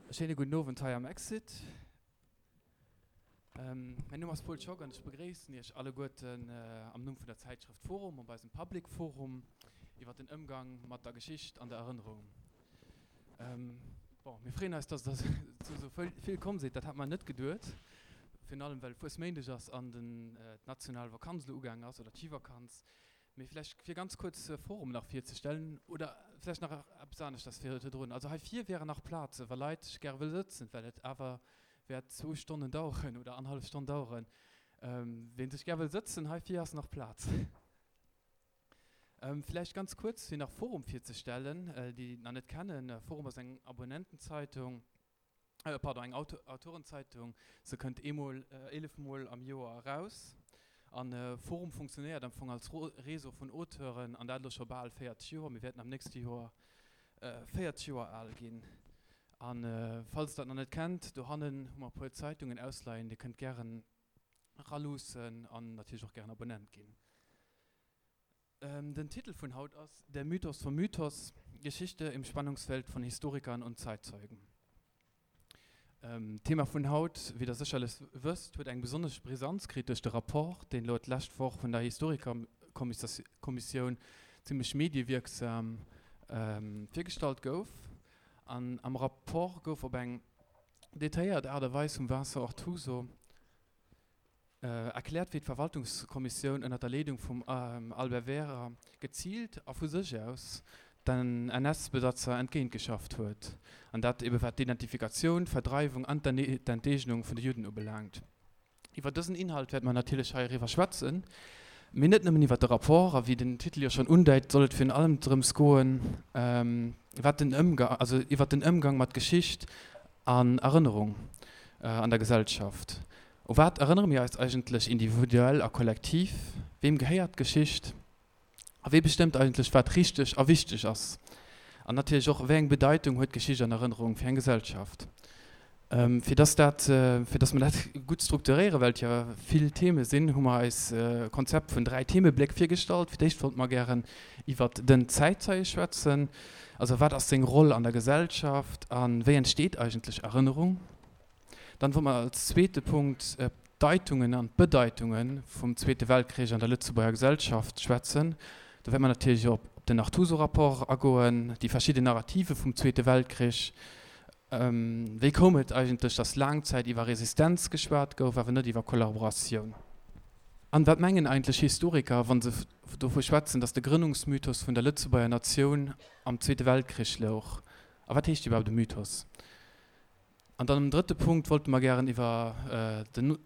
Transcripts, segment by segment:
E schéine gudden Owend hei am Exit. Mäin Numm ass Paul Schock an ech begréissen Iech alleguerten am Numm vun der Zäitschrëft Forum op eisem Public Forum iwwer den Ëmgang mat der Geschicht an der Erënnerung. Bon, mir freeën eis, dass der zu esou vill komm sidd. Dat hat mer net geduet, virun allem well Fuesméindeg ass an d'national Vakanz elo ugaangen ass oder d'Schivakanz. Mee vläicht fir ganz kuerz Forum nach virzestellen oder vläicht nach eppes aneschters virdrun. Also hei vir wären nach Plazen, wa Leit gäre wëlle sëtzen, well et awer wäert zwou Stonnen daueren oder annerhallef Stonn daueren. Ween sech gär wëll sëtzen, hei vir ass nach Plaz. Vläicht ganz kuerz fir nach Forum virzestellen, déi et nach net kennen. Forum ass eng Abonnentenzeitung. Pardon, eng Autorenzeitung. Se kënnt eemol, 11 mol am Joer eraus. An Forum funktionéiert am Fong als Réseau vun Auteuren, an dat elo scho bal 40 Joer. Mir wäerten am nächste Joer 40 Joer al ginn. A falls der et nach net kennt, dohannen hu mer e puer Zeitungen ausleien. Dir kënnt gären eraluussen an natierlech och gären Abonnent ginn. Den Titel vun haut ass Der Mythos vom Mythos, Geschichte im Spannungsfeld von Historikern und Zeitzeugen. D'Thema vun haut, wéi der sécherlech wësst, huet eng besonnesch Brisanz kritt duerch de Rapport, deen elo d'lescht Woch vun der Historikerkommissioun zimmlech mediewierksam virgestallt gouf. An am Rapport gouf op eng detailléiert Aart a Weis vum Vincent Artuso, Erkläert, wéi d'Verwaltungskommissioun ënner der Leedung vum Albert Wehrer geziilt a vu sech aus den NS-Besatzer entgéintgeschafft huet, an dat ebe wat d'Identifikatioun, d'Verdreiwung an d'Enteegnung vun de Judden ubelaangt. Iwwer dësen Inhalt wäerte mer natierlech hei eriwwer schwätzen, mee net nëmmen iwwer de Rapport, a wéi den Titel jo schonn undeit, soll et virun allem drëms goen, wat den Ëmgang, also iwwer den Ëmgang mat Geschicht an Erënnerung an der Gesellschaft. U wat erënnere mir eis eigentlech individuell a kollektiv? Weem gehéiert d'Geschicht? A wee bestëmmt eigentlech, wat richteg a wichteg ass? An natierlech och, wéi eng Bedeitung huet Geschicht an Erënnerung fir eng Gesellschaft? Fir dass dat, fir dass mer dat gutt strukturéieren, well et jo vill Theme sinn, hu mer eis e Konzept vun 3 Themebléck virgestallt. Fir d'éischt wollte mer gären iwwert den Zäitzeie schwätzen, also wat ass seng Roll an der Gesellschaft a wéi entsteet eigentlech Erënnerung? Dann wollt mer als zweete Punkt op d'Deitungen an d'Bedeitunge vum Zweete Weltkrich an der Lëtzebuerger Gesellschaft schwätzen. Do wäerte mer natierlech och op den Artuso-Rapport agoen, déi verschidden Narrative vum Zweete Weltkrich. Wéi koum et eigentlech, datt laang Zäit iwwer Resistenz geschwat gouf, awer net iwwer Kollaboratioun? An wat mengen eigentlech Historiker, wa se dovu schwätzen, datt de Grënnungsmythos vun der Lëtzebuerger Natioun am Zweete Weltkrich louch? A wat heescht iwwerhaapt e Mythos? An dann am drëtte Punkt wollte mer gären iwwer den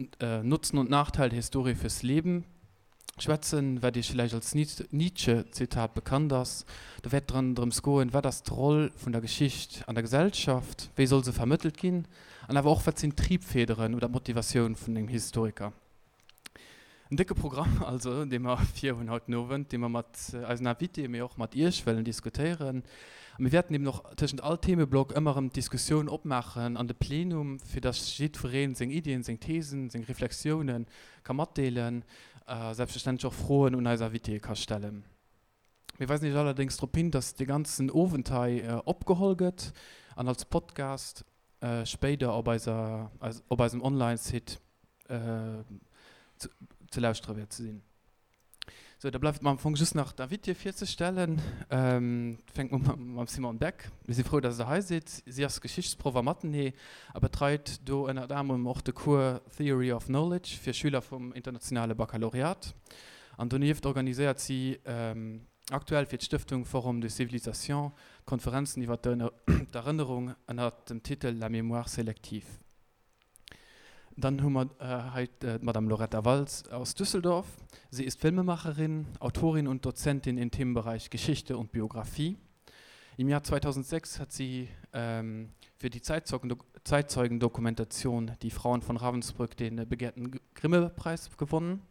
Nutzen und Nachteil der Historie fürs Leben schwätzen, wat Iech villäicht als Nietzsche-Zitat bekannt ass. Do wäert dran drëms goen, wat ass d'Roll vun der Geschicht an der Gesellschaft, wéi soll se vermëttelt ginn an awer och, wat sinn d'Triebfederen oder d'Motivatioun vun engem Historiker. En décke Programm also, dee mer vir hunn haut den Owend, dee mer mat eisen Invitéen, mee och mat Iech wëllen diskutéieren. A mir wäerten eben och tëschent all Themeblock ëmmer erëm d'Diskussioun opmaachen an de Plenum, fir dass jiddweree seng Iddien, seng Thesen, seng Reflexiounen ka matdeelen a selbstverständlech och Froen un eis Invitéë ka stellen. Mir weisen Iech allerdéngs drop hin, dass dee ganzen Owend hei opgeholl gëtt an als Podcast spéider op eiser, op eisem Online-Site ze lauschtere wäert ze sinn. Sou, da bleift mer am Fong just nach d'Invitéë virzestellen. Fänke mer mam Simone Beck. Mir si frou, dass Der hei sidd. Si ass Geschichtsproff am Athenée a betreit do ënnert anerem och de Cours Theory of Knowledge fir Schüler vum internationale Baccalauréat. An donieft organiséiert si aktuell fir d'Stëftung Forum des Civilisations Konferenzen iwwer d'Erënnerung ënner dem Titel La mémoire sélective. Dann hu mer hei d'Madame Loretta Walz aus Düsseldorf. Sie ist Filmemacherin, Autorin und Dozentin im Themenbereich Geschichte und Biografie. Im Jahr 2006 hat sie fir déi Zeitzeugendokumentation Die Frauen von Ravensbrück den begehrten Grimme-Preis gewonnen.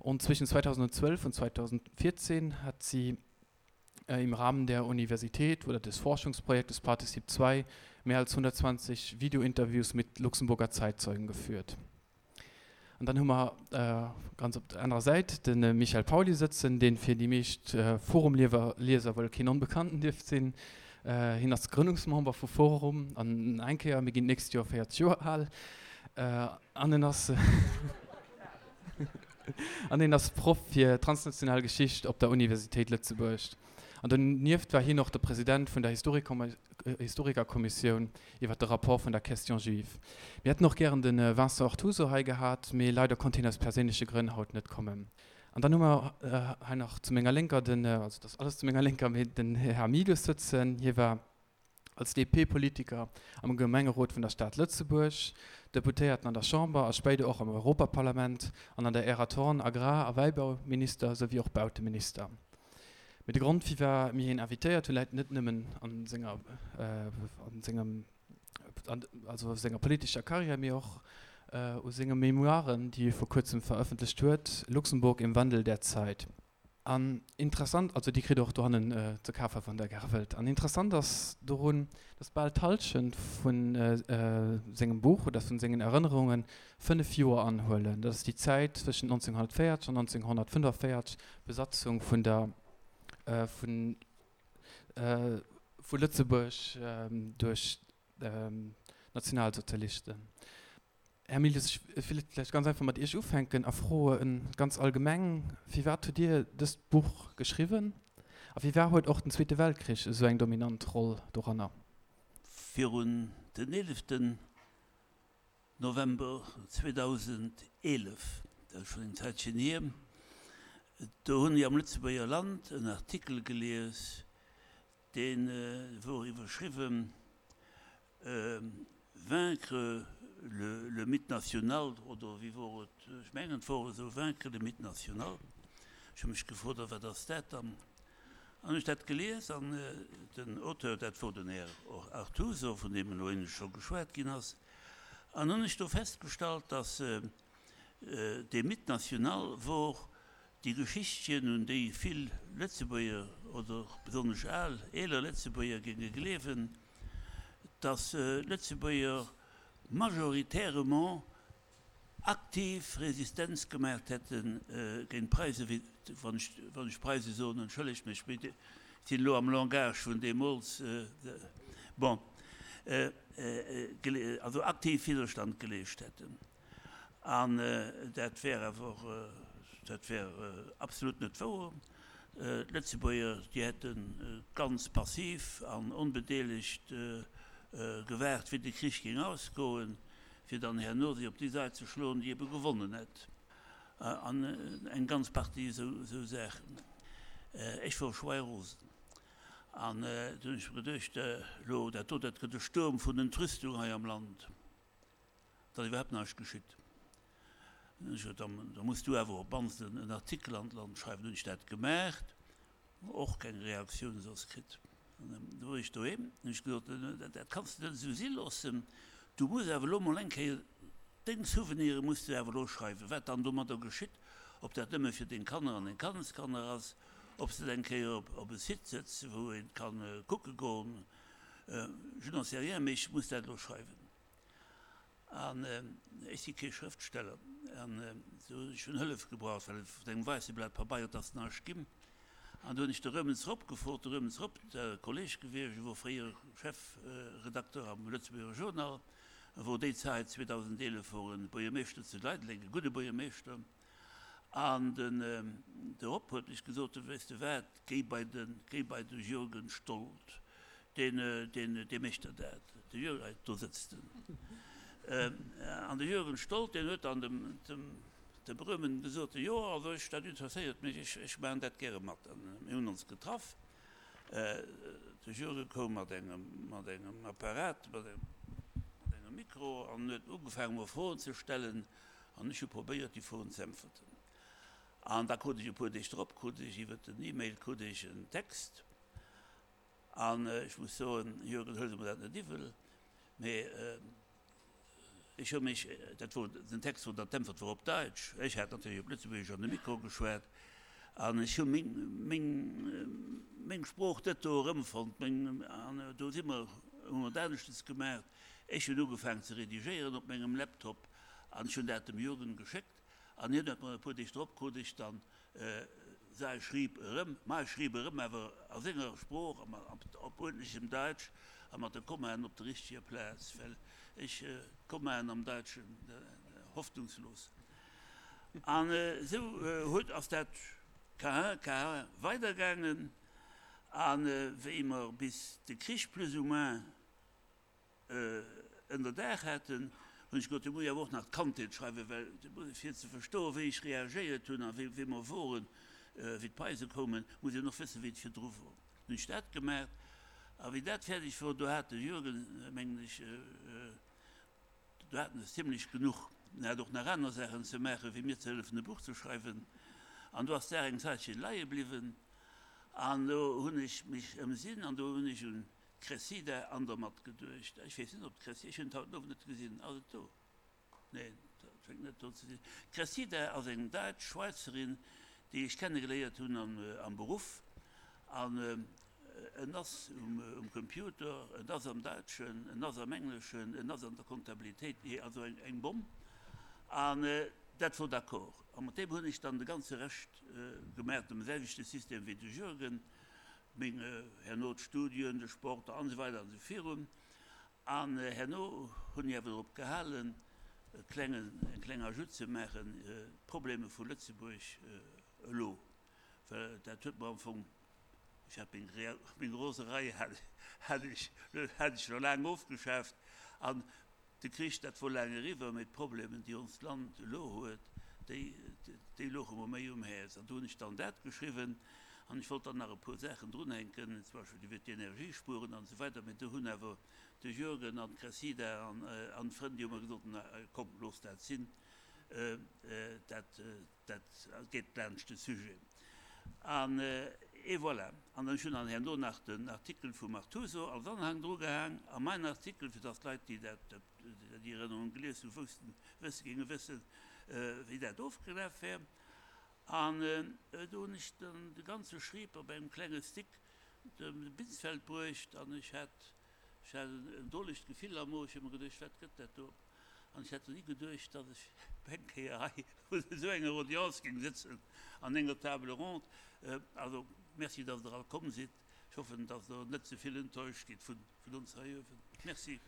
Und zwischen 2012 und 2014 hat sie im Rahmen der Universität oder des Forschungsprojektes Partizip 2 mehr als 120 Videointerviews mit Luxemburger Zeitzeugen geführt. An dann hu mer ganz op der anerer Säit de Michael Pauly sëtzen, dee fir déi meescht Forum-Lieser wuel keen Onbekannten dierft sinn. Hien ass Grënnungsmember vu Forum an eng Kéier, mir ginn d'nächst Joer 40 Joer al, an en ass an en ass Proff fir transnational Geschicht op der Universitéit Lëtzebuerg. An donieft war hien och de President vun der Historikerkommissioun iwwer de Rapport vun der Question juive. Mir hätten och gären de Vincent Artuso hei gehat, mee leider konnt hien aus perséinleche Grënn haut net kommen. An dann hu mer hei nach zu menger Lénker den, also dat ass alles zu menger Lénker, mee den Här Milius sëtzen. Hie war als DP-Politiker am Gemengerot vun der Stad Lëtzebuerg, Deputéierten an der Chamber a spéider och am Europaparlament an an der Ära Thorn Agrar a Wäibauminister souwéi och Bauteminister. Mee de Grond firwat mir hien invitéiert hunn, läit net nëmmen an senger, an sengem, also senger politescher Karriär, mee och u senge Memoiren, déi hie vor kuerzem verëffentlecht huet, Luxemburg im Wandel der Zeit. An interessant, also déi kritt der och dohannen ze kafen, wann der gäre wëllt. An interessant ass dorun, dass bal d'Hallschent vu sengem Buch oder vun sengen Erënnerungen 5 Joer anhuelen. Dat ass déi Zäit zwëschent 1940 an 1945, Besatzung vun der, vun, vu Lëtzebuerg duerch d'Nationalsozialisten. Här Milius, ech wéilt vläicht ganz einfach mat Iech ufänken a froen, ganz allgemeng, Firwat hutt Dir dëst Buch geschriwwen a firwat huet och den Zweete Weltkrich esou eng dominant Roll doranner? Virun den eeleften November 2011, dat ass schonn eng Zäitchen hier, do hunn ech am Lëtzebuerger Land en Artikel gelies, dee wor iwwerschriwwen Vaincre le mythe national, oder wéi wor et, ech mengen et wor esou, Vaincre le mythe national. Ech hu mech gefrot, a wat ass dat dann? An hunn ech dat gelies an den Auteur, dat wor den Här Artuso, vun deem elo éinescht scho geschwat ginn ass, an hunn ech do festgestallt, dass dee Mythe national wor déi Geschichtchen, un déi vill Lëtzebuerger oder besonnesch al, eeler Lëtzebuerger géinge gleewen, dass Lëtzebuerger majoritairement aktiv Resistenz gemaacht hätte géint d'Preise, wéi, wann ech, wann ech Preise soen, entschëllegt mech, mee ech sinn elo am Langage vun deemools, bon, also aktiv Widderstand geleescht hätten. An dat wär awer, dat wär absolut net wouer. D'Lëtzebuerger, déi hätte ganz passiv an onbedeelegt gewaart, wéi de Krich géing ausgoen, fir dann herno sech op déi Sait ze schloen, déi ebe gewonnen hätt. An eng ganz Partie esou Saachen. Ech wor schweirosen. An du hunn ech mer geduecht, elo dat do, dat gëtt e Sturm vun Entrüstung hei am Land. Et ass iwwerhaapt näischt geschitt. Dann hunn ech gesot, da muss du awer op d'mannst en Artikel an d'Land schreiwen. Hunn ech dat gemaacht, och keng Reaktioun soss kritt. An du wor ech doheem, hunn ech gesot, dat kanns de net esou si loossen, du muss awer elo mol eng Kéier deng Souvenire muss de awer elo schreiwen, wat dann domadder geschitt, ob dat nëmme fir deng Kanner an deng Kanneskanner ass, ob s de et eng Kéier op e Site sëtz, wou een ka kucke goen, je n'en sais rien, mee ech muss dat elo schreiwen. An ech si kee Schrëftsteller, an do hunn ech hunn Hëllef gebraucht, well vun engem wäisse Blat Pabeier, et ass näischt ginn. An do hunn ech de Römens Rob gefrot, de Römens Rob, dat e Kolleg gewiescht, e wor fréier Chefredakteur am Lëtzebuerger Journal, e wor déi Zäit, 2011, wor e Buergermeeschter zu Leideleng, e gudde Buergermeeschter. An den de Rob huet mech gesot, Weess de wat, géi bei de, géi bei de Jürgen Stolt, deen, deen, dee mécht der dat. De Jürgen, hei, do sëtzt en. An de Jürgen Stolt, deen huet dann dem, dem, dem Römen gesot, Jo, also ech, dat interesséiert mech, ech, ech maachen dat gäre mat. An mir hunn ons getraff. De Jürgen koum mat engem, mat engem Apparat, mat engem, mat engem Mikro an huet ugefaangen, mer Froen ze stellen. An ech hu probéiert, déi Froen ze äntwerten. An da krut ech e puer Deeg drop, krut ech iwwer den E-Mail krut ech en Text. An ech muss soen, Jürgen, huel de mer dat net iwwel, mee ech hu mech, dat wor, den Text wor, d'Äntwert wor op Daitsch, ech hat natierlech op Lëtzebuergesch an de Mikro geschwat, an ech hu meng, meng, meng Sprooch net do erëmfonnt, meng, an do si mer, hu mer et aneschtens gemaach, ech hunn ugefaangen ze redigéieren op mengem Laptop, An ech hunn dat dem Jürgen geschéckt an hien huet mer e puer Deeg drop krut ech dann. Säi schrieb erëm, ma e schrieb erëm, awer a senger Sprooch a op uerdentlechem Daitsch a mat de Kommaen op der richteger Plaz, well ech d'Kommaen am Daitschen hoffnungslos. An esou huet, ass dat Cahin, Cahin weidergaangen, a wéi mer bis de Krich plus ou moins Ënnerdaach haten, hunn ech gesot, do muss ech awer och nach d'Kandheet schreiwen, well fir ze verstoen, wéi ech reagéiert hunn a wéi mer woren, wéi d'Preise koumen, muss een och wëssen, wéi et virdru wor. Hunn ech dat gemaach a wéi dat fäerdeg wor, do hat de Jürgen, mengen ech, do hat en es zimlech genuch. En hat och nach aner Saachen ze maachen, wéi mir ze hëllefen e Buch ze schreiwen. An do ass d'Saach eng Zäitche leie bliwwen an do hunn ech mech ëmsinn an do hunn ech un D'Cressida Andermatt geduecht. Ech weess net, ob d'Cressida, ech hunn et haut den Owend net gesinn, ass et do? Neen, et schéngt net do ze sinn. D'Cressida ass eng däitsch Schwäizerin, déi ech kennegeléiert hunn am Beruff. An en ass um Computer, en ass am Däitschen, en ass am Engleschen, en ass an der Comptabilitéit, also eng Bomm. An dat wor d'accord. A mat deem hunn ech dann de ganze Rescht gemaach, dem selwechte System wéi de Jürgen. Meng herno d'Studien, de Sport an esou weider an esou virun. An herno hunn ech awer drop gehalen, e klengen, eng kleng Ajout ze maachen, d'Probleeme vu Lëtzebuerg elo, well dat huet mer am Fong, ech hat meng, meng Roserei hat, hat ech, hat ech scho laang ofgeschaaft an De Krich, dat wor laang eriwwer, mee d'Problemen, déi onst Land elo huet, déi, déi louche mer méi um Häerz. An do hunn ech dann dat geschriwwen. An ech wollt dann nach e puer Saachen drunhänken, zum Beispill iwwer d'Energiespueren an esou weider. Mee do hunn awer de Jürgen an d'Cressida an, an d'Frënn, déi hu mer gesot, Na, komm, looss dat sinn, dat, Dat geet laanscht de Sujet. An et voilà. An ech hunn dann herno nach den Artikel vum Artuso als Anhang drugehaang a mäin Artikel, fir dass d'Leit, déi dat, déi Erënnerung gelies hunn, woussten, wësse, géinge wëssen, wéi dat ofgelaf wär. An do hunn ech dann de ganze Schrieb op engem klenge Stick dem Binsfeld bruecht an ech hat, ech hat en drolegt Gefill am Mo. Ech hu mer geduecht, Wat gëtt dat do? An ech hätt ni geduecht, datt ech eng Kéier hei un esou enger Audience géing sëtzen an enger Table ronde. Also, merci, datt Der all komm sidd. Ech hoffen, datt Der net ze vill enttäuscht gitt vun ons hei uewen. Merci.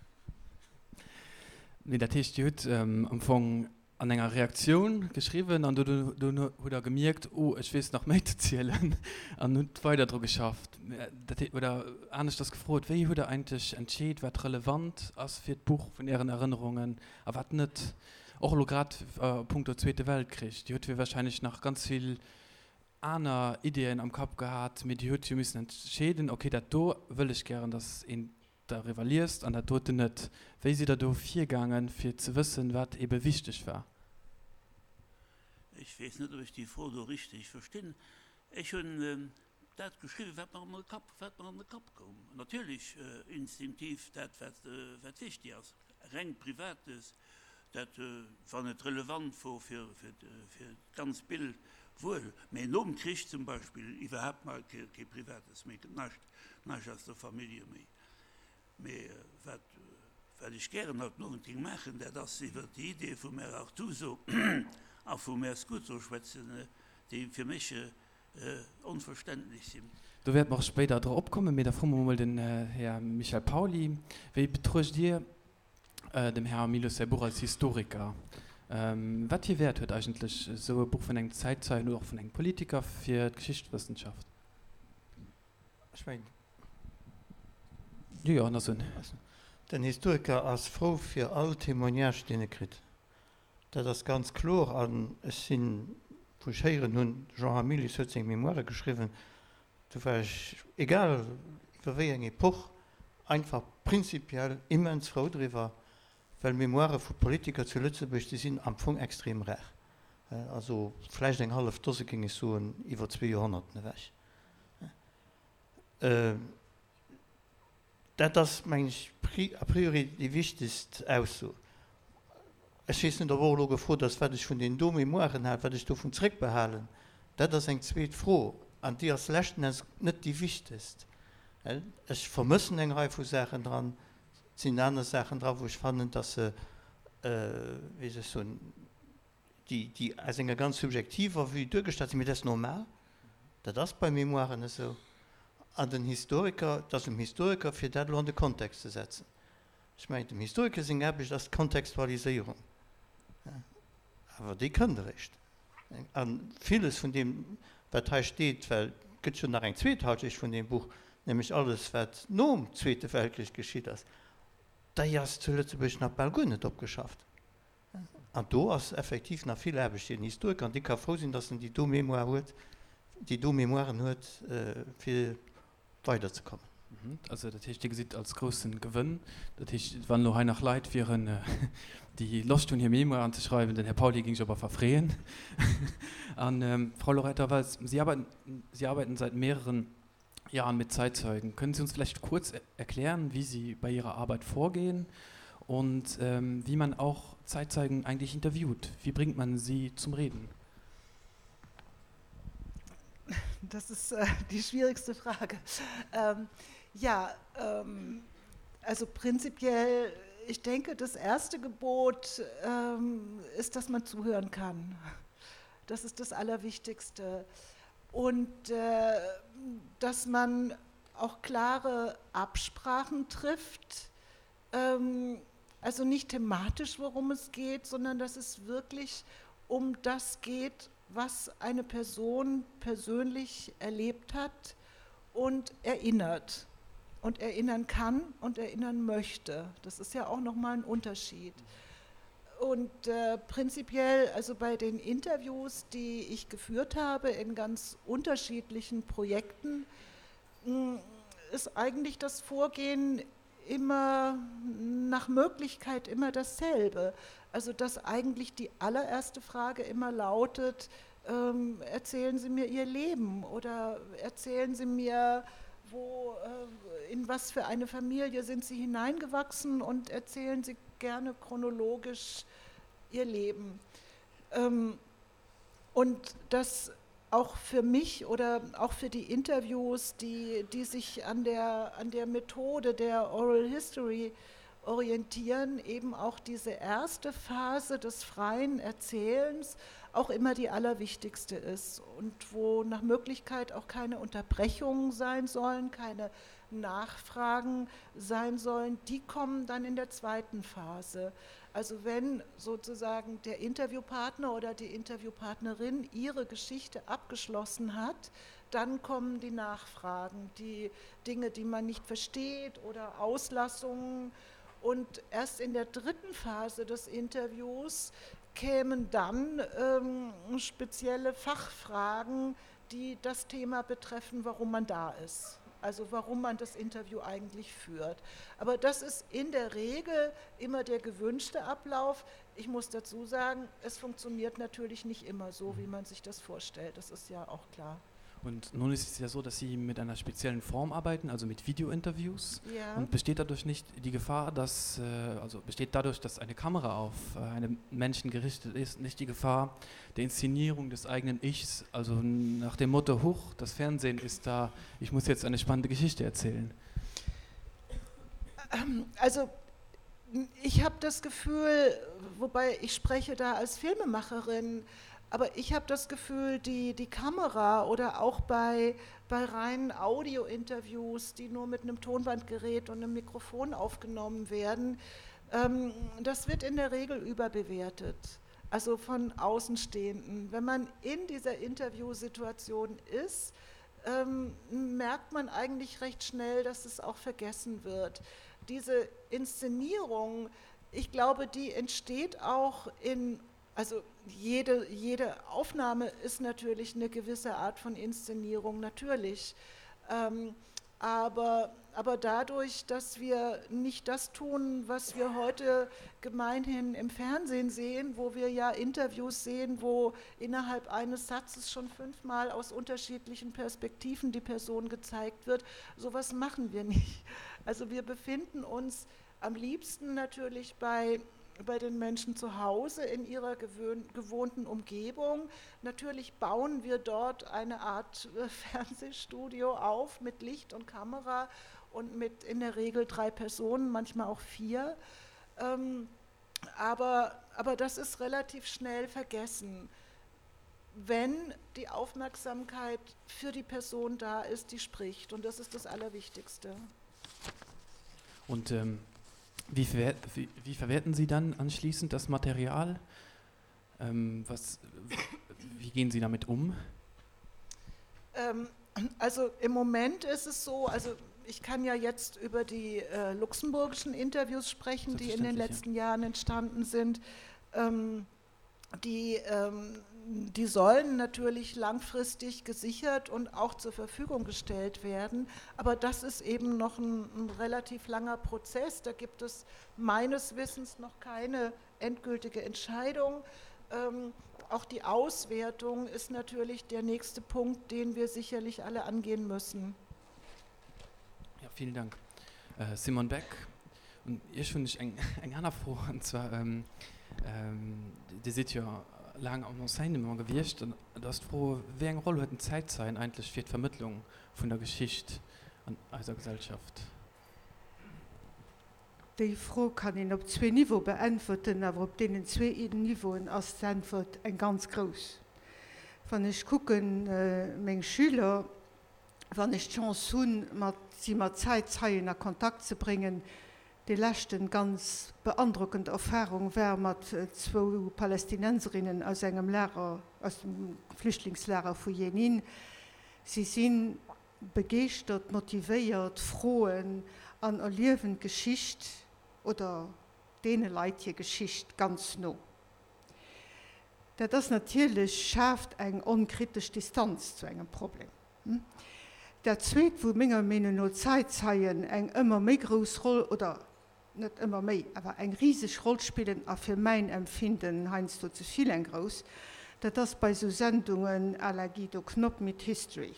Nee, dat heescht, Dir hutt am Fong an enger Reaktioun geschriwwen an dunn hutt Der gemierkt, oh, ech weess nach méi ze zielen an hutt weider dru geschafft. Dat heet, oder aneschters gefrot, wéi hutt Der eigentlech entscheet, wat relevant ass fir d'Buch vun Ären Erënnerungen a wat net? Och elo grad a punkto Zweete Weltkrich. Dir hutt jo wahrscheinlech nach ganz vill aner Ideeën am Kapp gehat, mee Dir hutt jo missen entscheeden, okay, dat do wëll ech gären, datt een dariwwer liest an dat doten net. Wéi sidd Der do virgaangen, fir ze wëssen, wat eebe wichteg war? Ech weess net, ob ech déi Fro do richteg verstinn. Ech hunn dat geschriwwen, wat mer an de Kapp, wat mer an de Kapp koum. Natierlech instinktiv dat, wat, wat wichtig ass. Reng Privates, dat, wann et relevant wor fir, fir, fir d'ganz Bild, wuel. Mä nom Krich zum Beispill iwwerhaapt mar kee, kee Privates méi, näischt, näischt aus der Famillje méi. Mee wat, wat ech gären haut den Owend géing maachen, dat ass iwwert déi Idee vum Här Artuso a vum Här Scuto schwätzen, déi fir mech onverständlech sinn. Do wäerte mer och spéider drop kommen, mee da froe mer emol den Här Michel Pauly, Wéi betruecht Dir dem Här Hamilius säi Buch als Historiker? Wat fir Wäert huet eigentlech esou e Buch vun engem Zäitzeien oder och vun engem Politiker fir d'Geschichtswëssenschaft? Ech mengen, Jo, jo, en ass un. Den Historiker ass frou fir all Témoignage, deen e kritt. Dat ass ganz kloer. An ech sinn, wou ech héieren hunn, de Jean Hamilius huet seng Mémoire geschriwwen, do war ech, egal iwwer wéi eng Epoch, einfach prinzipiell immens frou driwwer, well Mémoirë vu Politiker zu Lëtzebuerg, déi sinn am Fong extrem rar. Also vläicht eng hallef Dose, géing ech soen, iwwer zwee Joerhonnerten ewech. Dat ass, mengen ech, a priori déi wichtegst Ausso. Ech weess net, ob och elo gefrot ass, wat ech vun deenen do Mémoiren halen, wat ech dovun zréckbehalen. Dat ass eng zweet Fro an déi ass leschten Enns net déi wichtegst. Ech vermëssen eng Rei vu Saachen dran. Et sinn aner Saachen dran, wou ech fannen, dass se, wéi soll ech soen, déi, déi aus enger ganz subjektiver Vue duergestallt sinn, mee dat ass normal. Dat ass bei Mémoiren esou. An den Historiker, et ass um Historiker, fir dat elo an de Kontext ze setzen. Ech mengen, dem Historiker seng Aarbecht ass d'Kontextualiséierung. Awer déi kënnt eréischt. A villes vun deem, wat hei steet, well et gëtt jo nach eng zweet Halschecht vun deem Buch, nämlech alles, wat nom Zweete Weltkrich geschitt ass, déi ass zu Lëtzebuerg nach bal guer net opgeschafft. An do ass effektiv nach vill Aarbecht fir den Historiker, an dee ka frou sinn, datt en déi do Mémoire huet, déi do Mémoiren huet, fir weiderzekommen. Also dat heescht, Dir gesitt als groussen Gewënn, dat heescht, wann elo hei nach Leit wieren, déi Loscht hunn, hir Mémoiren ze schreiwen, den Här Pauly géing sech op alle Fall freeën. An, Frau Loretta Wells, Sie arbeiten, Sie arbeiten seit mehreren Jahren mit Zeitzeugen. Können Sie uns vielleicht kurz erklären, wie Sie bei Ihrer Arbeit vorgehen und ähm, wie man auch Zeitzeugen eigentlich interviewt? Wie bringt man sie zum Reden? Das ist äh, die schwierigste Frage. Ähm, ja, ähm, also prinzipiell, ich denke, das erste Gebot ähm, ist, dass man zuhören kann. Das ist das Allerwichtigste. Und äh, dass man auch klare Absprachen trifft, ähm, also nicht thematisch, worum es geht, sondern dass es wirklich um das geht, was eine Person persönlich erlebt hat und erinnert und erinnern kann und erinnern möchte. Das ist ja auch noch mal ein Unterschied. Und äh, prinzipiell, also bei den Interviews, die ich geführt habe in ganz unterschiedlichen Projekten, hm, ist eigentlich das Vorgehen immer nach Möglichkeit immer dasselbe. Also dass eigentlich die allererste Frage immer lautet, ähm, erzählen Sie mir Ihr Leben oder erzählen Sie mir, wo, äh, in was für eine Familie sind Sie hineingewachsen und erzählen Sie gerne chronologisch Ihr Leben. Ähm, und das auch für mich oder auch für die Interviews, die, die sich an der, an der Methode der Oral History orientieren, eben auch diese erste Phase des freien Erzählens auch immer die allerwichtigste ist und wo nach Möglichkeit auch keine Unterbrechungen sein sollen, keine Nachfragen sein sollen, die kommen dann in der zweiten Phase. Also wenn sozusagen der Interviewpartner oder die Interviewpartnerin ihre Geschichte abgeschlossen hat, dann kommen die Nachfragen, die Dinge, die man nicht versteht oder Auslassungen. Und erst in der dritten Phase des Interviews kämen dann ähm, spezielle Fachfragen, die das Thema betreffen, warum man da ist also warum man das Interview eigentlich führt. Aber das ist in der Regel immer der gewünschte Ablauf. Ich muss dazu sagen, es funktioniert natürlich nicht immer so, wie man sich das vorstellt. Das ist ja auch klar. Und nun ist es ja so, dass Sie mit einer speziellen Form arbeiten, also mit Videointerviews. Ja. Und besteht dadurch nicht die Gefahr, dass, äh, also besteht dadurch, dass eine Kamera auf äh, einen Menschen gerichtet ist, nicht die Gefahr der Inszenierung des eigenen Ichs, also nach dem Motto, Huch, das Fernsehen ist da, ich muss jetzt eine spannende Geschichte erzählen? Ähm, also ich habe das Gefühl, wobei ich spreche da als Filmemacherin, aber ich habe das Gefühl, die, die Kamera oder auch bei, bei reinen Audiointerviews, die nur mit einem Tonbandgerät und einem Mikrofon aufgenommen werden, ähm, das wird in der Regel überbewertet. Also von Außenstehenden. Wenn man in dieser Interviewsituation ist, ähm, merkt man eigentlich recht schnell, dass es auch vergessen wird. Diese Inszenierung, ich glaube, die entsteht auch in also jede, jede Aufnahme ist natürlich eine gewisse Art von Inszenierung, natürlich. Ähm, aber, aber dadurch, dass wir nicht das tun, was wir heute gemeinhin im Fernsehen sehen, wo wir ja Interviews sehen, wo innerhalb eines Satzes schon fünfmal aus unterschiedlichen Perspektiven die Person gezeigt wird, sowas machen wir nicht. Also wir befinden uns am liebsten natürlich bei bei den Menschen zu Hause in ihrer gewohnten Umgebung. Natürlich bauen wir dort eine Art äh, Fernsehstudio auf mit Licht und Kamera und mit in der Regel drei Personen, manchmal auch vier. Ähm, aber, aber das ist relativ schnell vergessen. wenn die Aufmerksamkeit für die Person da ist, die spricht. Und das ist das Allerwichtigste. Und ähm, wie, verwert, wie, wie verwerten Sie dann anschließend das Material? Ähm, was, wie gehen Sie damit um? Ähm, also im Moment ist es so, also ich kann ja jetzt über die äh, luxemburgischen Interviews sprechen, die in den letzten ja. Jahren entstanden sind. Ähm, die, ähm, die sollen natürlich langfristig gesichert und auch zur Verfügung gestellt werden. Aber das ist eben noch ein, ein relativ langer Prozess. Da gibt es meines Wissens noch keine endgültige Entscheidung. Ähm, auch die Auswertung ist natürlich der nächste Punkt, den wir sicherlich alle angehen müssen. Ja, vielen Dank. Äh, Simon Beck und Iech hunn ech eng eng aner Fro an zwar ähm, ähm, Dir sidd jo laang am Enseignement gewiescht an do ass d'Fro, wéi eng Roll huet den Zäitzeien eigentlech fir d'Vermëttlung vun der Geschicht an eiser Gesellschaft? Déi Fro kann een op zwee Niveaue beäntwerten, awer op deenen zwee Niveauen ass d'Äntwert eng ganz grouss. Wann ech kucken, meng Schüler, wann ech d'Chance hunn, mat si mat Zäitzeien a Kontakt ze bréngen, déi leschten ganz beandrockend Erfahrung war mat zwou Palästinenserinnen aus engem Lager, aus dem Flüchtlingslager vu Jenin. Si si begeeschtert, motivéiert, froen an erliewen d'Geschicht oder deene Leit hir Geschicht ganz no. Dat ass natierlech, schaaft eng onkritesch Distanz zu engem Problem. Dat Zweet, wou menger Meenung no d'Zäitzeien eng ëmmer méi grouss Roll, oder net ëmmer méi, awer eng riseg Roll spillen, a fir mäin Empfinden heiansdo ze vill eng grouss, dat ass bei esou Sendungen à la Guido Knopp mit History,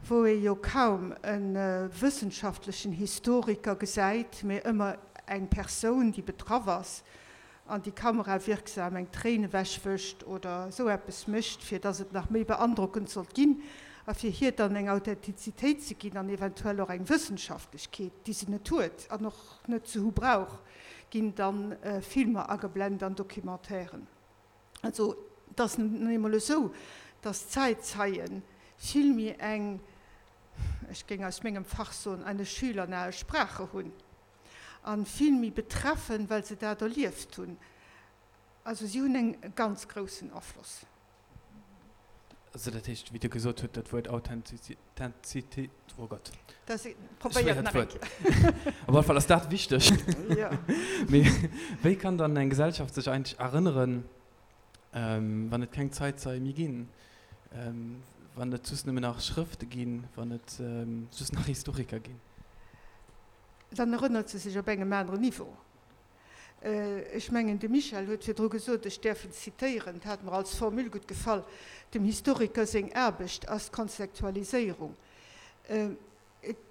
wou ee jo kaum e wëssenschaftlechen Historiker gesäit, mee ëmmer eng Persoun, déi betraff ass an déi kamerawirksam eng Tréin ewechwëscht oder esou eppes mécht, fir dass et nach méi beandrockend sollt ginn a fir hir dann eng Authentizitéit ze ginn an eventuell och eng Wëssenschaftlechkeet, déi se net huet an och net ze hu brauch, ginn dann Filmer ageblent an Documentairen. Also et ass nun eemol esou, dass d'Zäitzeie vill méi eng, ech géing aus mengem Fach soen, eine schülernahe Sprache hunn a vill méi betreffen, well se dat erlieft hunn. Also si hunn e ganz groussen Afloss. Also dat heescht, wéi Der gesot hutt, dat Wuert Authentizitéit, oh Gott, schwéiert Wuert, op alle Fall ass dat wichteg. Mee wéi kann dann eng Gesellschaft sech eigentlech erënneren, wann et keng Zäitzeie méi ginn, wann et just nëmmen nach Schrëfte ginn, wann et just nach Historiker ginn? Dann erënnert se sech op engem aneren Niveau. Ech mengen, de Michel huet virdru gesot, ech däerf en zitéieren, dat hat mer als Formule gutt gefall, Dem Historiker seng Aarbecht ass d'Konzektualiséierung.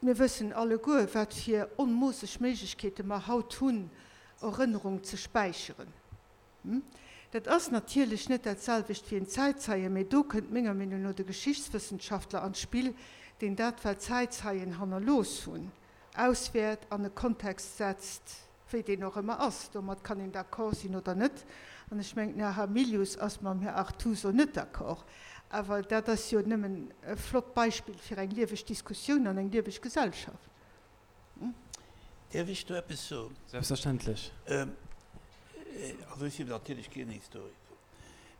Mir wëssen alleguer, wat fir onmoosseg Méiglechkeete mer haut hunn, Erënnerung ze späicheren. Dat ass natierlech net dat selwecht wéi en Zäitzeien, mee do kënnt menger Meenung no de Geschichtswëssenschaftler an d'Spill, deen dat, wat d'Zäitzeien hannerlooss hunn, auswäert, an e Kontext setzt, wéi deen och ëmmer ass. Domat kann een d'accord sinn oder net. An ech mengen, den Här Hamilius ass mam Här Artuso net d'accord. Awer dat ass jo nëmmen e flott Beispill fir eng lieweg Diskussioun an eng lieweg Gesellschaft. Däerf ech do eppes soen? Selbstverständlech. Also ech sinn natierlech keen Historiker,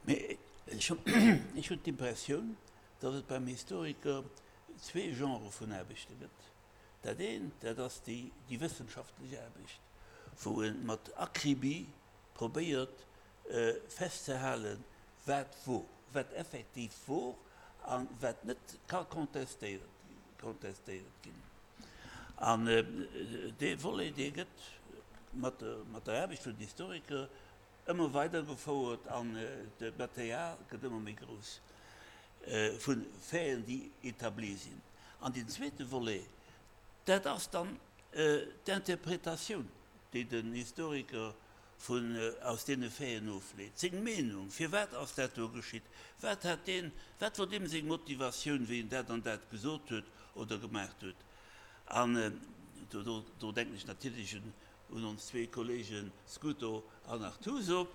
mee ech hunn d'Impressioun, datt et beim Historiker zwee Genrë vun Aarbechte gëtt. Dat eent, dat ass déi wëssenschaftlech Aarbecht, wou e mat Akribie probéiert festzehalen, wat wor, wat effektiv wor a wat net ka contestéiert ginn. An dee Volet, dee gëtt mat der Aarbecht vun den Historiker ëmmer weider gefouert an de Material gëtt ëmmer méi grouss vu Faiten, déi établi sinn. An deen zweete Volet, dat ass dann d'Interpretatioun, déi den Historiker vun aus deene Faiten ofleet, seng Meenung, firwat ass dat do geschitt, wat hat deen, wat wor deem seng Motivatioun, wéi en dat an dat gesot huet oder gemaacht huet. An do, do denken ech natierlech un ons zwee Kollegen Scuto an Artuso.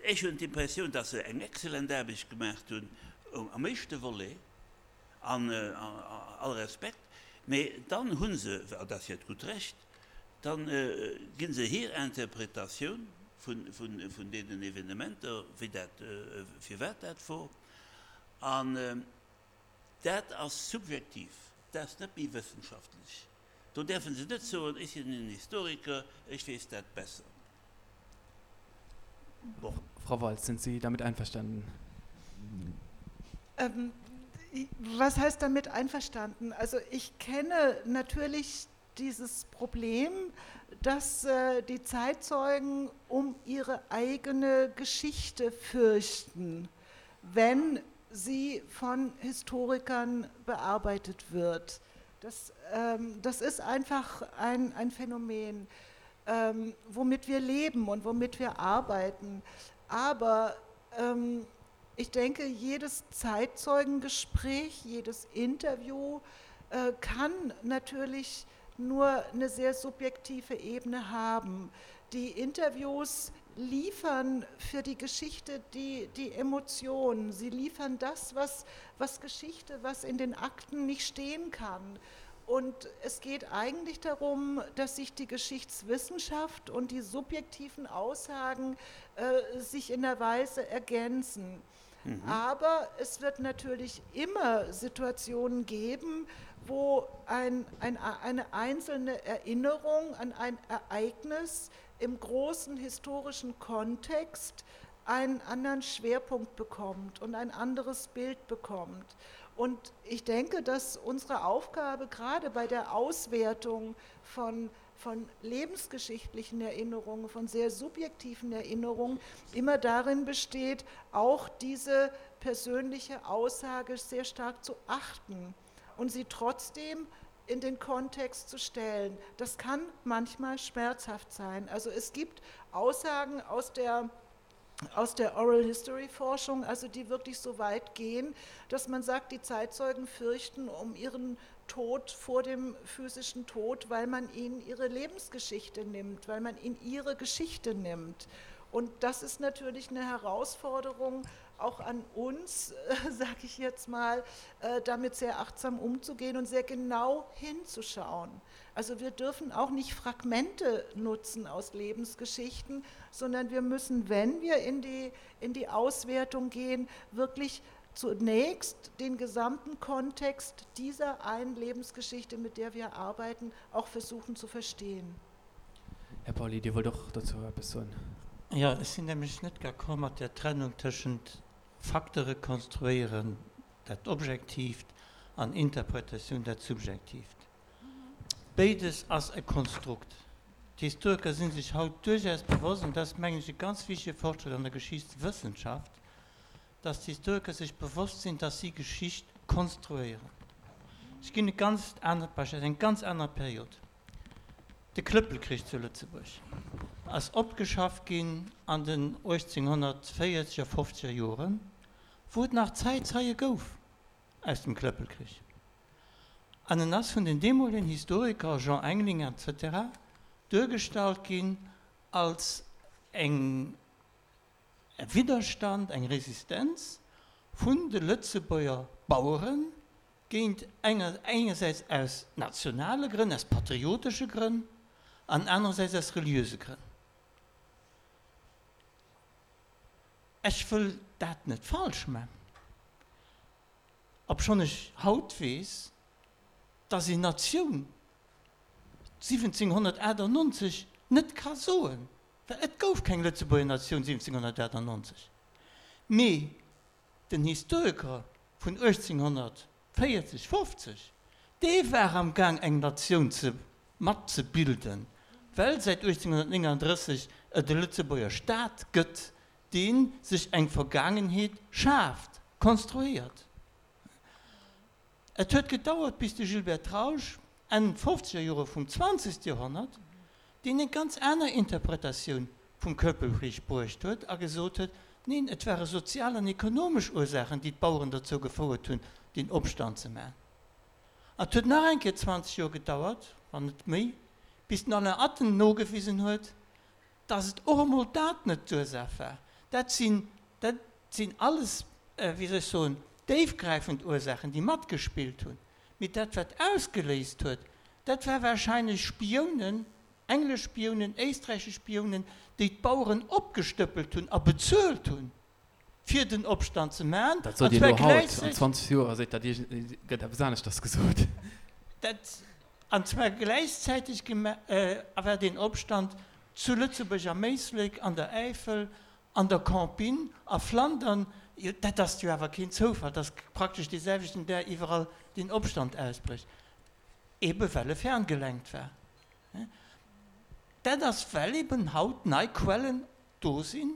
Ech hunn d'Impressioun, dass se eng exzellent Aarbecht gemaacht hunn am éischte Volet, an all Respekt, mee dann hu se, an dat ass hiert gutt Recht, da gi se hir Interpretatioun vun deenen Evenementer, wéi dat, firwat dat wor, an dat ass subjektiv, dat ass net méi wëssenschaftlech. Do däerfe se net soen, ech sinn en Historiker, ech weess dat besser. Bon. Frau Waltz, sind Sie damit einverstanden? Ähm, was heißt damit einverstanden? Also ich kenne natürlich dieses Problem, dass äh, die Zeitzeugen um ihre eigene Geschichte fürchten, wenn sie von Historikern bearbeitet wird. Das, ähm, das ist einfach ein, ein Phänomen, ähm, womit wir leben und womit wir arbeiten. Aber ähm, ich denke, jedes Zeitzeugengespräch, jedes Interview äh, kann natürlich nur eine sehr subjektive Ebene haben. Die Interviews liefern für die Geschichte die, die Emotionen. Sie liefern das, was, was Geschichte, was in den Akten nicht stehen kann. Und es geht eigentlich darum, dass sich die Geschichtswissenschaft und die subjektiven Aussagen äh, sich in der Weise ergänzen. Mhm. Aber es wird natürlich immer Situationen geben, wo ein, ein, eine einzelne Erinnerung an ein Ereignis im großen historischen Kontext einen anderen Schwerpunkt bekommt und ein anderes Bild bekommt. Und ich denke, dass unsere Aufgabe gerade bei der Auswertung von, von lebensgeschichtlichen Erinnerungen, von sehr subjektiven Erinnerungen immer darin besteht, auch diese persönliche Aussage sehr stark zu achten und sie trotzdem in den Kontext zu stellen. Das kann manchmal schmerzhaft sein. Also es gibt Aussagen aus der aus der Oral History Forschung, also die wirklich so weit gehen, dass man sagt, die Zeitzeugen fürchten um ihren Tod vor dem physischen Tod, weil man ihnen ihre Lebensgeschichte nimmt, weil man ihnen ihre Geschichte nimmt. Und das ist natürlich eine Herausforderung auch an uns, äh, sage ich jetzt mal, äh, damit sehr achtsam umzugehen und sehr genau hinzuschauen. Also wir dürfen auch nicht Fragmente nutzen aus Lebensgeschichten, sondern wir müssen, wenn wir in die, in die Auswertung gehen, wirklich zunächst den gesamten Kontext dieser einen Lebensgeschichte, mit der wir arbeiten, auch versuchen zu verstehen. Här Pauly, Dir wollt och dozou eppes soen. Jo, ech sinn nämlech net d'accord mat där Trennung tëschent Fakte rekonstruéieren, dat Objektiivt, an Interpretatioun, dat Subjektiivt. Béides ass e Konstrukt. D'Historiker si sech haut duerchaus bewosst, an dat ass, mengen ech, e ganz wichtige Fortschrëtt an der Geschichtswëssenschaft, dass d'Historiker sech bewosst sinn, dass si Geschicht konstruéieren. Ech ginn e ganz anert Beispill aus enger ganz anerer Period. De Klëppelkrich zu Lëtzebuerg ass opgeschafft ginn an den 1840er, fofzeger Joren, wou et nach Zäitzeie gouf aus dem Klëppelkrich. An en ass vun den deemolegen Historiker, Jean Engling etc. Duergestallt ginn als eng e Widderstand, eng Resistenz vun de Lëtzebuerger Bauere géint engersäits aus nationale Grënn, aus patriotesche Grënn an anerersäits aus reliöse Grënn. Ech wëll dat net falsch man, obschonn ech haut weess, dass een Natioun 1798 net ka soen, well et gouf keng Lëtzebuerger Natioun 1798, mee den Historiker vun 1840, 50, dee war am Gaang eng Natioun ze mat ze bilden, well säit 1839 et e Lëtzebuerger Staat gëtt, dee sech eng Vergaangenheet schaaft, konstruéiert. Et huet gedauert, bis de Gilbert Trausch, Enn fofzeger Jore vum zwanzegste Joerhonnert, deen eng ganz aner Interpretatioun vum Klëppelkrich bruecht huet a gesot huet, Neen, et ware sozial an ekonomesch Ursaachen, déi d'Baueren dozou gefouert hunn, deen Opstand ze maachen. An et huet nach eng Kéier 20 Joer gedauert, wann net méi, bis den Alain Atten nogewisen huet, dass et och emol dat net d'Ursaach war. Dat sinn, dat sinn alles, wéi soll ech soen, déifgräifend Ursaachen, déi matgespillt hunn. Mee dat, wat ausgeléist huet, dat war warscheinlech Spiounen, englesch Spiounen, éisträichesch Spiounen, déi d'Baueren opgestëppelt hunn a bezuelt hunn, fir den Opstand ze maachen. Dat sot Dir elo haut, an 20 Joer seet dat iergend, gëtt eppes aneschters gesot. Dat, an zwar gläichzäiteg war deen Opstand zu Lëtzebuerg am Éislek, an der Äifel, an der Campine, a Flandern. Jo, dat ass jo awer keen Zoufall, dass praktesch dee selwechten Dag iwwerall deen Opstand ausbrécht, ebe well e ferngelenkt war. Dat ass, well eben haut nei Quellen do sinn,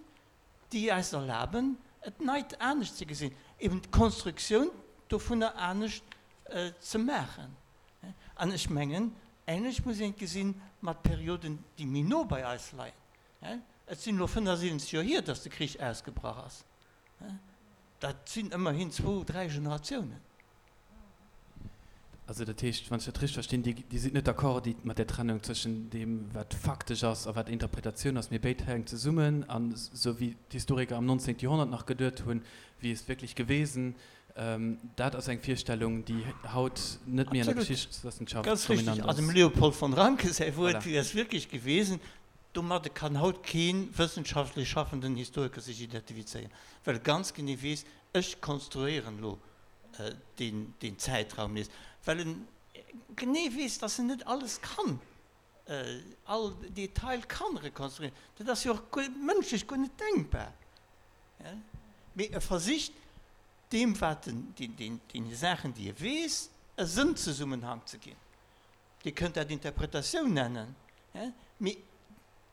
déi eis erlaben, et neit anescht ze gesinn, eben d'Konstruktioun dovunner anescht ze maachen. An ech mengen, änlech muss een et gesinn mat Perioden, déi méi no bei eis leien. Et sinn elo 75 Joer hier, datt de Krich ausgebrach ass. Dat sinn ëmmerhin zwou, dräi Generatiounen. Also dat heescht, wann ech dat richteg verstinn, Dir, Dir sidd net d'accord mat där Trennung zwëschen deem, wat faktesch ass a wat Interpretatioun ass, mee béid hänken zesummen. An esou wéi d'Historiker am 19. Joerhonnert nach geduet hunn, wie ist wirklich gewesen, dat ass eng Virstellung, déi haut net méi an der Geschichtswëssenschaft dominant ass. Ganz richtig. Also dem Leopold von Ranke säi Wuert, Wie ist wirklich gewesen, domadde kann haut kee wëssenschaftlech schaffenden Historiker sech identifizéieren, well e ganz genee weess, ech konstruéieren elo deen Zäitraum nees, well en genee weess, dass en net alles kann, all Detail kann rekonstruieren. Dat ass jo och mënschlech guer net denkbar. Mee e versicht, deem wat en, deene Saachen, déi e weess, e Sënnzesummenhang ze ginn. Dir kënnt dat Interpretatioun nennen, mee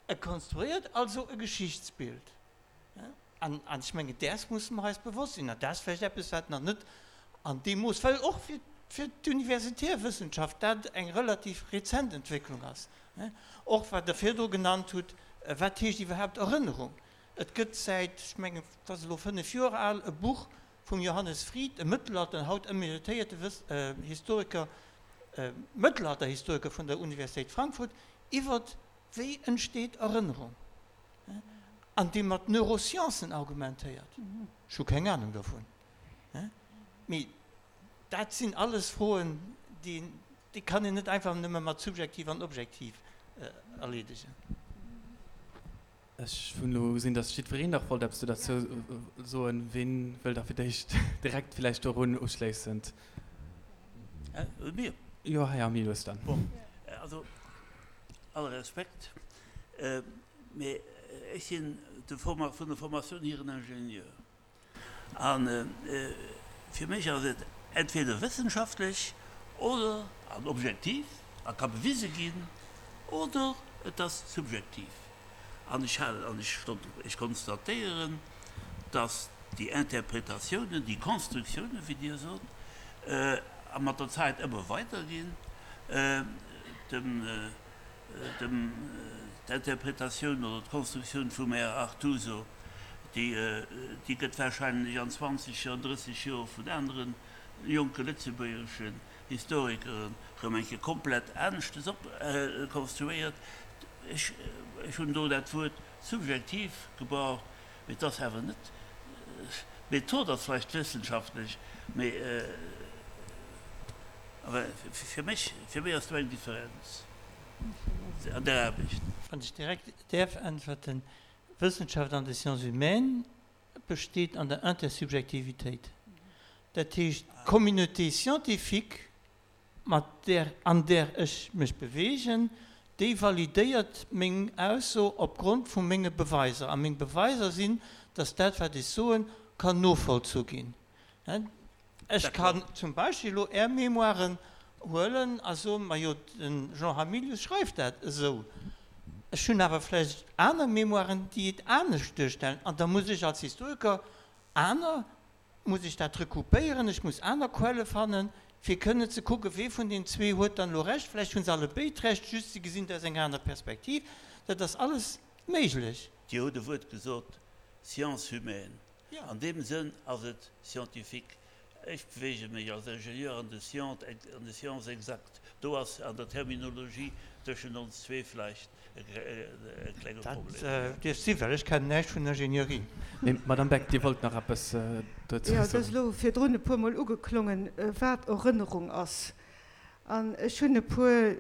e konstruéiert also e Geschichtsbild. An ech mengen, däers musse mer eis bewosst sinn. An dat ass vläicht eppes, wat nach net an deem Mooss, well och fir d'universitär Wëssenschaft dat eng relativ rezent Entwécklung ass. Och wat Der virdru genannt hutt, Wat heescht iwwerhaapt Erënnerung? Et gëtt säit, ech mengen, et ass elo fënnef Joer al, e Buch vum Johannes Fried, e Mëttelalter, haut emeritéierte Historiker, Mëttelalterhistoriker vun der Universitéit Frankfurt, iwwert Wéi entsteet Erënnerung? An dee mat Neurosciencen argumentéiert. Ech hu keng Anung dovun. Mee dat sinn alles Froen, déi kann een net einfach nëmme mat subjektiv an objektiv erleedegen. Ech hunn elo gesinn, datt jiddwereen nach wollt eppes dozou soen. Ween wëll da fir d'éischt direkt villäicht dorun uschléissend? Mir? Jo, Här Hamilius dann. Bon, also alle Respekt, mee ech sinn vun der Formatioun hier en Ingenieur. A fir mech ass et entweder wëssenschaftlech oder an objektiv a ka bewise ginn, oder et ass subjektiv. An ech halen an ech ech konstatéieren, datt déi Interpretatiounen, déi Konstruktiounen, wéi Dir sot, a mat der Zäit ëmmer weider ginn. Dem Dem d'Interpretatioun oder d'Konstruktioun vum Här Artuso, déi, déi gëtt wahrscheinlech an 20 Joer, 30 Joer vun anere jonke lëtzebuergeschen Historikeren erëm eng Kéier komplett aneschtes op konstruéiert. Ech, ech hunn do dat Wuert subjektiv gebraucht, mee et ass awer net, d'Method ass vläicht wëssenschaftlech, mee awer fir mech, fir mech ass do eng Differenz an der Aarbecht. Wann ech direkt däerf äntwerten, Wëssenschaft an de Sciences humaines besteet an der Intersubjektivitéit. Dat heescht, d'Communauté scientifique, mat där, an där ech mech beweegen, déi validéiert meng Ausso opgrond vu menge Beweiser. A meng Beweiser sinn, dass dat, wat ech soen, kann novollzu ginn. Ech kann zum Beispill elo Är Mémoiren huelen a soen, Majo, de Jean Hamilius schreift dat esou. Ech hunn awer vläicht aner Mémoiren, déi et anescht duerstellen. An da muss ech als Historiker aner, muss ech dat recoupéieren, ech muss aner Quelle fannen, fir kënnen ze kucken, wee vun den zwee huet dann elo Recht. Vläicht hu se allebéid Recht, just se gesinn et aus enger aner Perspektiv. Dat ass alles méiglech. Dir hutt e Wuert gesot, Sciences humaines. An deem Sënn ass et scientifique. Ech beweege mech als Ingenieur an de Sciences, an de Sciences exactes. Do ass an der Terminologie tëschent ons zwee vläicht e klenge Problem. Dat dierft sinn, well ech kennen näischt vun Ingénierie. Mee Madame Beck, Dir wollt nach eppes dozou Jo, et ass soen. elo virdrun e puermol ugeklongen, wat Erënnerung ass. An ech hunn e puer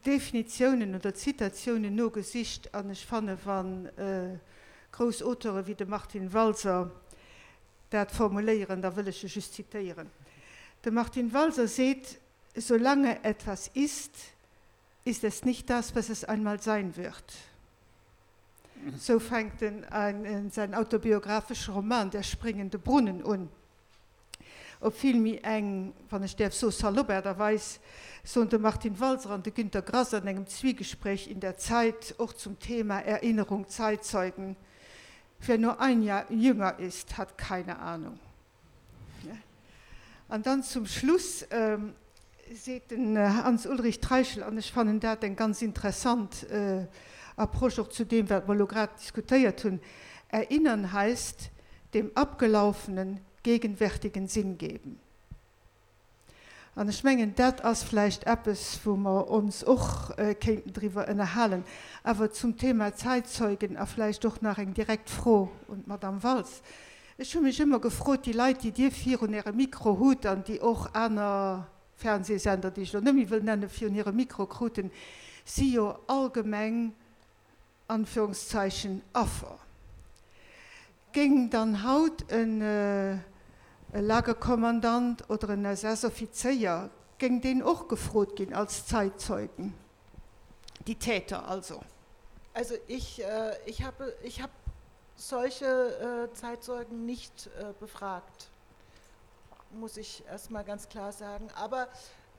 Definitiounen oder Zitatiounen nogesicht an ech fanne wa grouss Auteure wéi de Martin Walser dat formuléieren, da wëll ech e just zitéieren. De Martin Walser seet, Solange etwas ist, ist es nicht das, was es einmal sein wird. Sou fänkt en säin autobiographesche Roman Der springende Brunnen un. Op vill méi eng, wann ech däerf soen, salopp Aart a Weis, soen de Martin Walser an de Günter Grass an engem Zwiegespräch in der Zeit och zum Thema Erinnerung, Zeitzeugen, Wer nur ein Jahr jünger ist, hat keine Ahnung. An dann zum Schluss seet den Hans-Ulrich Treichel, an ech fannen dat eng ganz interessant Approche och zu deem, wat mer elo grad diskutéiert hunn, Erinnern heißt, dem Abgelaufenen gegenwärtigen Sinn geben. An ech mengen, dat ass vläicht eppes, wou mer ons och kéinten driwwer ënnerhalen. Awer zum Thema Zeitzeugen a vläicht och nach eng direkt Fro un d'Madame Waltz. Ech hu mech ëmmer gefrot, déi Leit, déi Dir virun Ärem Mikro hutt an déi och aner Fernsehsender, déi ech elo net méi wëll nennen, virun hirem Mikro kruten, si jo allgemeng Anführungszeichen, Affer. Géing dann haut e Lagerkommandant oder en SS-Offizéier, géing deen och gefrot ginn als Zeitzeugen? Die Täter also. Also ich, ich habe, ich habe solche Zeitzeugen nicht befragt, muss ich erst mal ganz klar sagen. Aber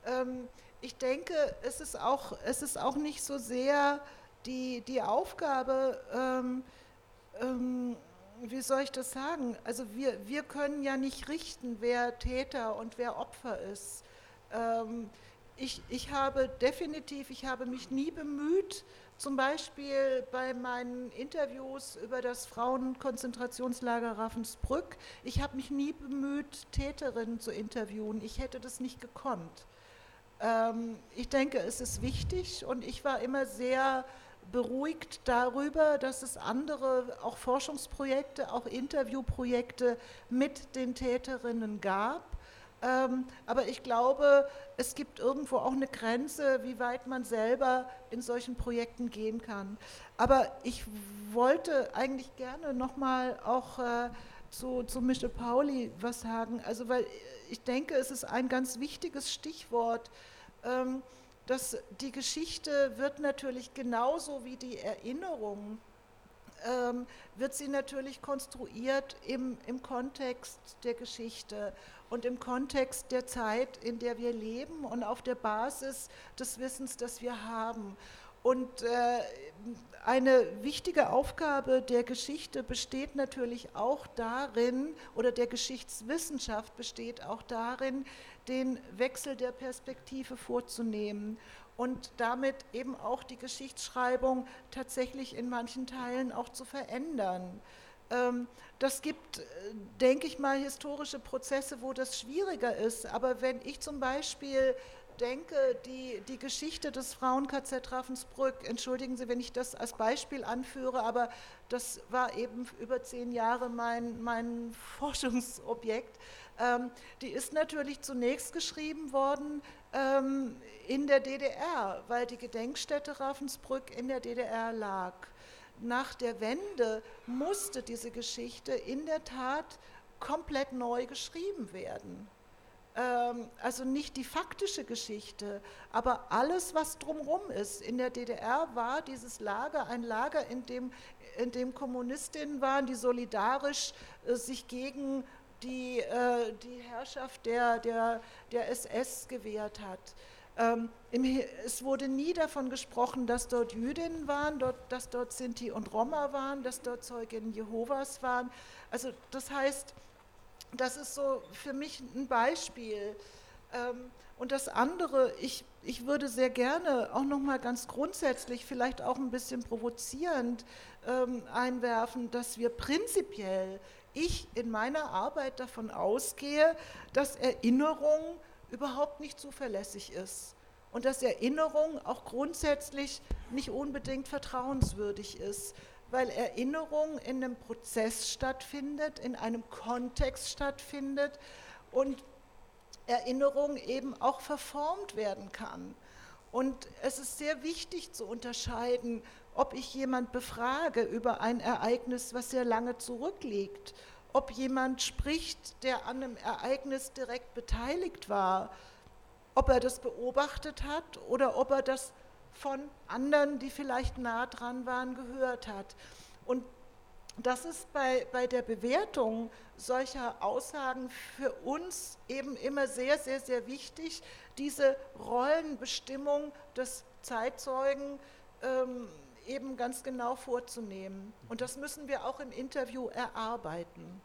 ähm, ich denke, es ist auch, es ist auch nicht so sehr die, die Aufgabe, ähm, ähm, wie soll ich das sagen? Also wir, wir können ja nicht richten, wer Täter und wer Opfer ist. Ähm, ich, ich habe definitiv, ich habe mich nie bemüht, zum Beispiel bei meinen Interviews über das Frauenkonzentrationslager Ravensbrück, ich habe mich nie bemüht, Täterinnen zu interviewen. Ich hätte das nicht gekonnt. Ähm, ich denke, es ist wichtig und ich war immer sehr beruhigt darüber, dass es andere, auch Forschungsprojekte, auch Interviewprojekte mit den Täterinnen gab. Ähm, aber ich glaube, es gibt irgendwo auch eine Grenze, wie weit man selber in solchen Projekten gehen kann. Aber ich wollte eigentlich gerne noch mal auch äh, zu, zu Michel Pauli was sagen. Also weil ich denke, es ist ein ganz wichtiges Stichwort, ähm, dass die Geschichte wird natürlich genauso wie die Erinnerung ähm, wird sie natürlich konstruiert im, im Kontext der Geschichte und im Kontext der Zeit, in der wir leben und auf der Basis des Wissens, das wir haben. Und äh, eine wichtige Aufgabe der Geschichte besteht natürlich auch darin, oder der Geschichtswissenschaft besteht auch darin, den Wechsel der Perspektive vorzunehmen und damit eben auch die Geschichtsschreibung tatsächlich in manchen Teilen auch zu verändern. Ähm, das gibt, äh, denke ich mal, historische Prozesse, wo das schwieriger ist. Aber wenn ich zum Beispiel denke, die, die Geschichte des Frauen-KZ Ravensbrück, entschuldigen Sie, wenn ich das als Beispiel anführe, aber das war eben über zehn Jahre mein, mein Forschungsobjekt, ähm, die ist natürlich zunächst geschrieben worden ähm, in der DDR, weil die Gedenkstätte Ravensbrück in der DDR lag. Nach der Wende musste diese Geschichte in der Tat komplett neu geschrieben werden. Ähm, also nicht die faktische Geschichte, aber alles, was drumherum ist. In der DDR war dieses Lager ein Lager, in dem, in dem Kommunistinnen waren, die solidarisch äh, sich gegen die, äh, die Herrschaft der, der, der SS gewehrt hat. Ähm, im, es wurde nie davon gesprochen, dass dort Jüdinnen waren, dort, dass dort Sinti und Roma waren, dass dort Zeuginnen Jehovas waren. Also das heißt, das ist so für mich ein Beispiel. Ähm, und das andere, ich, ich würde sehr gerne auch noch mal ganz grundsätzlich, vielleicht auch ein bisschen provozierend ähm, einwerfen, dass wir prinzipiell, ich in meiner Arbeit davon ausgehe, dass Erinnerung überhaupt nicht zuverlässig ist und dass Erinnerung auch grundsätzlich nicht unbedingt vertrauenswürdig ist, weil Erinnerung in einem Prozess stattfindet, in einem Kontext stattfindet und Erinnerung eben auch verformt werden kann. Und es ist sehr wichtig zu unterscheiden, ob ich jemand befrage über ein Ereignis, was sehr lange zurückliegt, ob jemand spricht, der an einem Ereignis direkt beteiligt war, ob er das beobachtet hat oder ob er das von anderen, die vielleicht nah dran waren, gehört hat. Und das ist bei, bei der Bewertung solcher Aussagen für uns eben immer sehr, sehr, sehr wichtig, diese Rollenbestimmung des Zeitzeugen ähm, eben ganz genau vorzunehmen. Und das müssen wir auch im Interview erarbeiten.